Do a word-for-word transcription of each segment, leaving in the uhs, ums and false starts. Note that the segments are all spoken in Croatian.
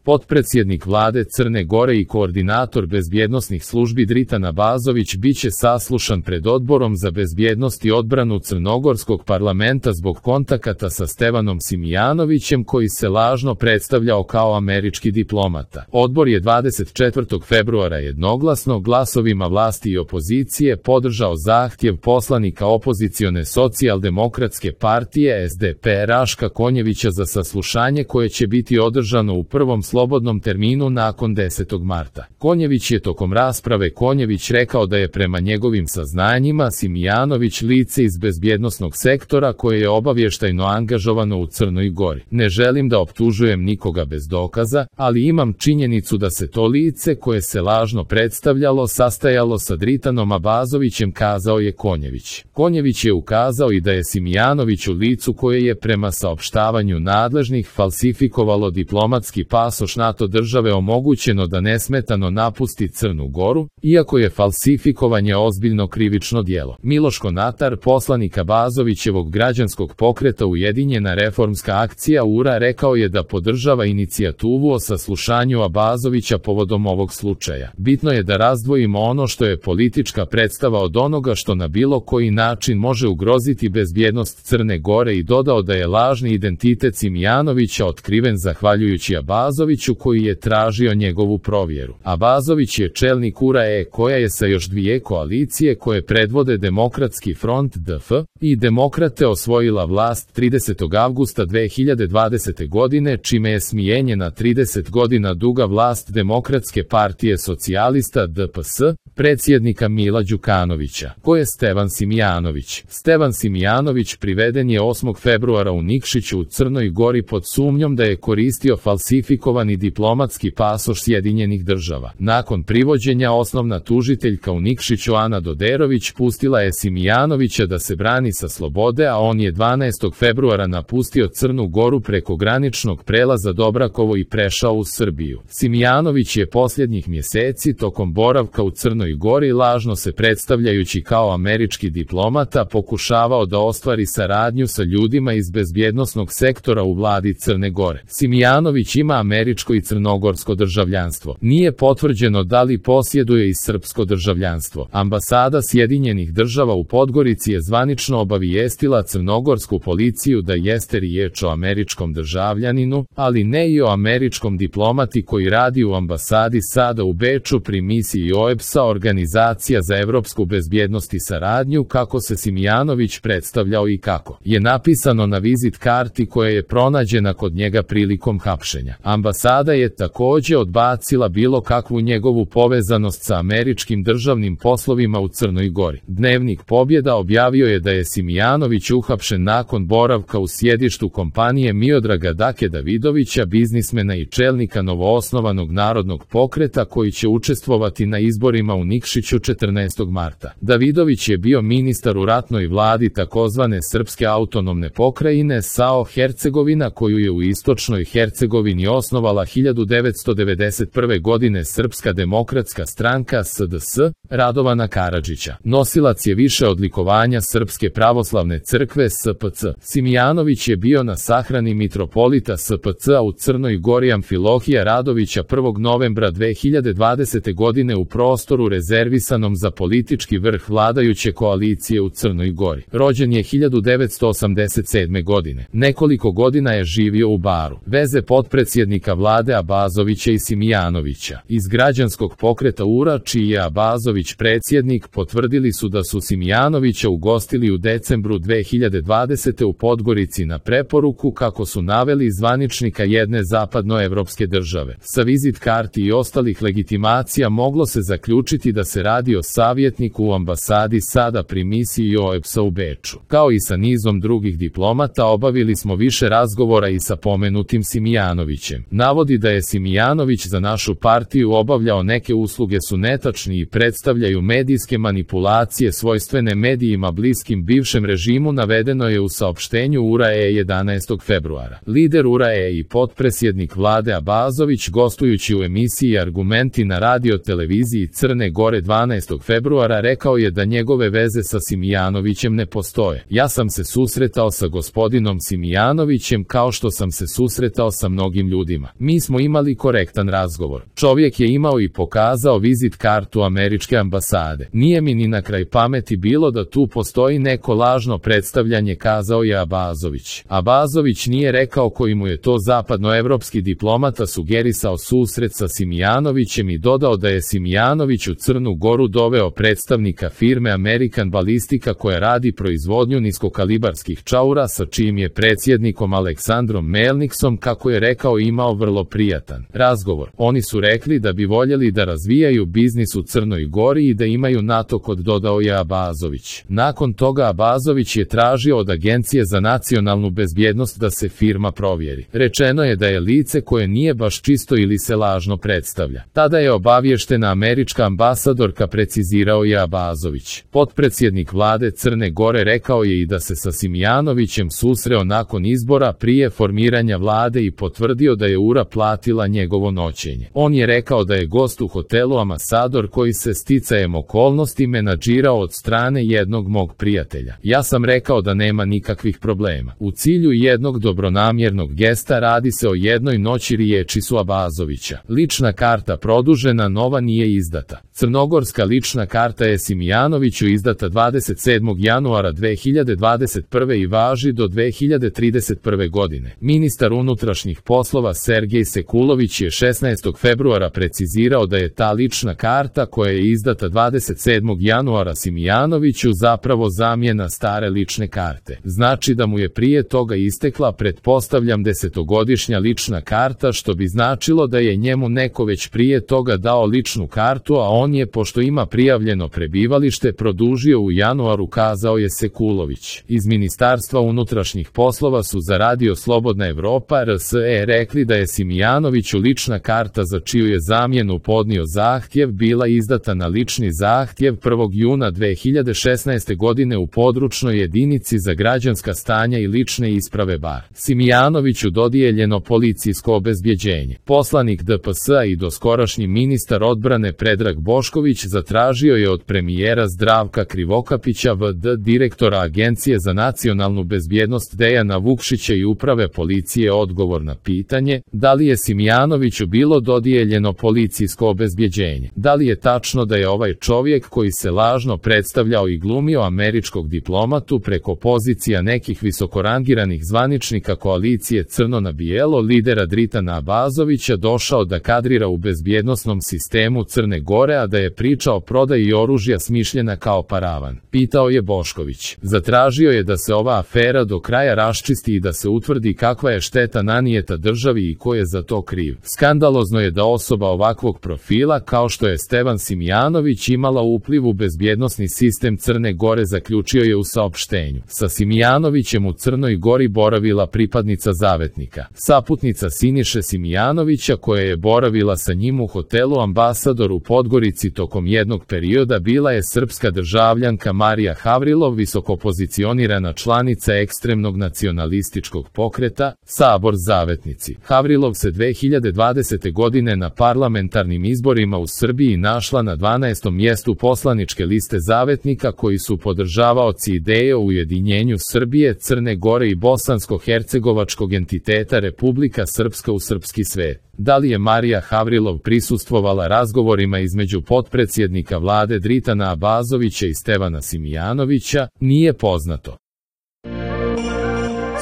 Potpredsjednik vlade Crne Gore i koordinator bezbjednosnih službi Dritan Abazović biće saslušan pred Odborom za bezbjednost i odbranu Crnogorskog parlamenta zbog kontakata sa Stevanom Simijanovićem, koji se lažno predstavljao kao američki diplomata. Odbor je dvadeset četvrtog februara jednoglasno glasovima vlasti i opozicije podržao zahtjev poslanika opozicione socijaldemokratske partije S D P Raška Konjevića za saslušanje koje će biti održano u prvom slobodnom terminu nakon desetog marta. Konjević je tokom rasprave Konjević rekao da je prema njegovim saznanjima Simijanović lice iz bezbjednosnog sektora koje je obavještajno angažovano u Crnoj Gori. Ne želim da optužujem nikoga bez dokaza, ali imam činjenicu da se to lice koje se lažno predstavljalo sastajalo sa Dritanom Abazovićem, kazao je Konjević. Konjević je ukazao i da je Simijanović u licu koje je prema saopštavanju nadležnih falsifikovalo diplomatski pasoš NATO države omogućeno da nesmetano napusti Crnu Goru, iako je falsifikovanje ozbiljno krivično djelo. Miloš Konatar, poslanik Abazovićevog građanskog pokreta Ujedinjena reformska akcija U R A, rekao je da podržava inicijativu o saslušanju Abazovića povodom ovog slučaja. Bitno je da razdvojimo ono što je politička predstava od onoga što na bilo koji način može ugroziti bezbjednost Crne Gore i dodao da je lažni identitet Simijanovića otkriven zahvaljujući Abazoviću koji je tražio njegovu provjeru. Abazović je čelnik U R A E koja je sa još dvije koalicije koje predvode Demokratski front D F i Demokrate osvojila vlast tridesetog avgusta dve hiljade dvadesete. godine, čime je smijenjena trideset godina duga vlast Demokratske partije socijalista D P S, predsjednika Mila Đukanovića. Ko je Stevan Simijanović? Stevan Simijanović priveden je osmog februara u Nikšiću u Crnoj Gori pod sumnjom da je koristio falsifikovani diplomatski pasoš Sjedinjenih država. Nakon privođenja osnovna tužiteljka u Nikšiću Ana Doderović pustila je Simijanovića da se brani sa slobode, a on je dvanaestog februara napustio Crnu Goru preko graničnog prelaza Dobrakovo i prešao u Srbiju. Simijanović je posljednjih mjeseci tokom boravka u Crnoj Gori lažno se predstavljajući kao američki diplomata pokušavao da ostvari saradnju sa ljudima iz bezbjednosnog sektora u vladi Crne Gore. Simijanović ima američko i crnogorsko državljanstvo. Nije potvrđeno da li posjeduje i srpsko državljanstvo. Ambasada Sjedinjenih država u Podgorici je zvanično obavijestila crnogorsku policiju da jeste riječ o američkom državljaninu, ali ne i o američkom diplomati koji radi u ambasadi sada u Beču pri misiji O E B S A, Organizacija za evropsku bezbjednost i saradnju, kako se Simijanović predstavljao i kako je napisano na vizit karti koja je pronađena kod njega prilikom hapšenja. Ambasada je također odbacila bilo kakvu njegovu povezanost sa američkim državnim poslovima u Crnoj Gori. Dnevnik Pobjeda objavio je da je Simijanović uhapšen nakon boravka u sjedištu kompanije Miodraga Dake Davidovića, biznismena i čelnika novoosnovanog narodnog pokreta koji će učestvovati na izborima u Nikšiću četrnaestog marta. Davidović je bio ministar u ratnoj vladi takozvane Srpske autonomne pokrajine S A O Hercegovina, koju je u istočnoj Hercegovini osnovala hiljadu devetsto devedeset prve. godine Srpska demokratska stranka S D S, Radovana Karadžića. Nosilac je više odlikovanja Srpske pravoslavne crkve S P C. Simijanović je bio na sahrani mitropolita S P C-a u Crnoj Gori Amfilohija Radovića prvog novembra dve hiljade dvadesete. godine u prostoru rezervisanom za politički vrh vladajuće koalicije u Crnoj Gori. Rođen je hiljadu devetsto osamdeset sedme. godine. Nekoliko godina je živio u Baru. Veze potpredsjednika vlade Abazovića i Simijanovića iz građanskog pokreta U R A, čiji je Abazović predsjednik, potvrdili su da su Simijanovića ugostili u decembru dve hiljade dvadesete. u Podgorici na preporuku, kako su naveli, zvaničnika jedne zapadnoevropske države. Sa vizit karti i ostalih legitimacija moglo se zaključiti da se radi o savjetniku u ambasadi sada pri misiji O E B S A u Beču. Kao i sa nizom drugih diplomata obavili smo više razgovora i sa pomenutim Simijanovićem. Navodi da je Simijanović za našu partiju obavljao neke usluge su netačni i predstavljaju medijske manipulacije svojstvene medijima bliskim bivšem režimu, navedeno je u saopštenju U R A E jedanaestog februara. Lider U R A E i potpredsjednik vlade Abazović, gostujući u emisiji Argumenti na radio televiziji Crne Gore dvanaestog februara, rekao je da njegove veze sa Simijanovićem ne postoje. Ja sam se susretao sa gospodinom Simijanovićem kao što sam se susretao sa mnogim ljudima. Mi smo imali korektan razgovor. Čovjek je imao i pokazao vizit kartu američke ambasade. Nije mi ni na kraj pameti bilo da tu postoji neko lažno predstavljanje, kazao je Abazović. Abazović nije rekao koji mu je to zapadnoevropski diplomata sugerisao susret sa Simijanovićem i dodao da je Simijanović u Crnu Goru doveo predstavnika firme American Ballistica koja radi proizvodnju niskokalibarskih čaura sa čijim je predsjednikom Aleksandrom Melniksom, kako je rekao, imao vrlo prijatan razgovor. Oni su rekli da bi voljeli da razvijaju biznis u Crnoj Gori i da imaju NATO kod, dodao je Abazović. Nakon toga Abazović je tražio od Agencije za nacionalnu bezbjednost da se firma provjeri. Rečeno je da je lice koje nije baš čisto ili se lažno predstavlja. Tada je obavještena američka ambasadorka, precizirao je Abazović. Potpredsjednik vlade Crne Gore rekao je i da se sa Simijanovićem susreo nakon izbora prije formiranja vlade i potvrdio da je U R A platila njegovo noćenje. On je rekao da je gost u hotelu Ambasador koji se sticajem okolnosti menadžirao od strane jednog mog prijatelja. Ja sam rekao da nema nikakvih problema. U cilju jednog dobronamjernog gesta radi se o jednoj noći, riječi su Abazovića. Lična karta produžena, nova nije izdata. Crnogorska lična karta je Simijanoviću izdata dvadeset sedmog januara dve hiljade dvadeset prve i važi do dve hiljade trideset prve godine. Ministar unutrašnjih poslova Sergej Sekulović je šesnaestog februara precizirao da je ta lična karta koja je izdata dvadeset sedmog januara Simijanoviću zapravo zamjena stare lične karte. Znači da mu je prije toga istekla, pretpostavljam, desetogodišnja lična karta, što bi značilo da je njemu neko već prije toga dao ličnu kartu, a on je, pošto ima prijavljeno prebivalište, produžio u januaru, kazao je Sekulović. Iz Ministarstva unutrašnjih poslova su za Radio Slobodna Evropa R S E rekli da je Simijanoviću lična karta za čiju je zamjenu podnio zahtjev bila izdata na lični zahtjev prvog juna dve hiljade šesnaeste godine u područnoj jedinici za građanska stanja i lične isprave Bar. Simijanoviću dodijeljeno policijsko obezbjeđenje. Poslanik D P S-a i doskorašnji ministar odbrane Predrag Bošković zatražio je od premijera Zdravka Krivokapića V D, direktora Agencije za nacionalnu bezbjednost Dejana Vukšića i uprave policije odgovor na pitanje da li je Simijanoviću bilo dodijeljeno policijsko obezbjeđenje. Da li je tačno da je ovaj čovjek koji se lažno predstavljao i glumio američkog diplomatu preko pozicija nekih visokorangiranih zvaničnika koalicije Crno na bijelo lidera Dritana Abazovića došao da kadrira u bezbjednosnom sistemu Crne Gore, a da je priča o prodaji oružja smišljena kao paravan? Pitao je Bošković. Zatražio je da se ova afera do kraja raščisti i da se utvrdi kakva je šteta nanijeta državi i ko je za to kriv. Skandalozno je da osoba ovakvog profila kao što je Stevan Simijanović imala upliv u bezbjednosni sistem Crne Gore, zaključio je u saopštenju. Sa Simijanovićem u Crnoj Gori boravila pripadnica Zavetnika, saputnica Siniše Simijanovića, koja je boravila sa njim u hotelu Ambasador u Podgorici tokom jednog perioda, bila je srpska državljanka Marija Havrilov, visokopozicionirana članica ekstremnog nacionalističkog pokreta Sabor Zavetnici. Havrilov se dve hiljade dvadesete godine na parlamentarnim izborima u Srbiji našla na dvanaestom mjestu poslaničke liste Zavetnika, koji su podržavaoci ideje o ujedinjenju Srbije, Crne Gore i bosansko-hercegovačkog entiteta Republika Srpska u srpski svet. Da li je Marija Havrilov prisustvovala razgovorima između potpredsjednika vlade Dritana Abazovića i Stevana Simijanovića, nije poznato.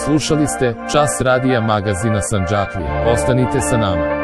Slušali ste Čas radija magazina Sandžaklija. Ostanite sa nama.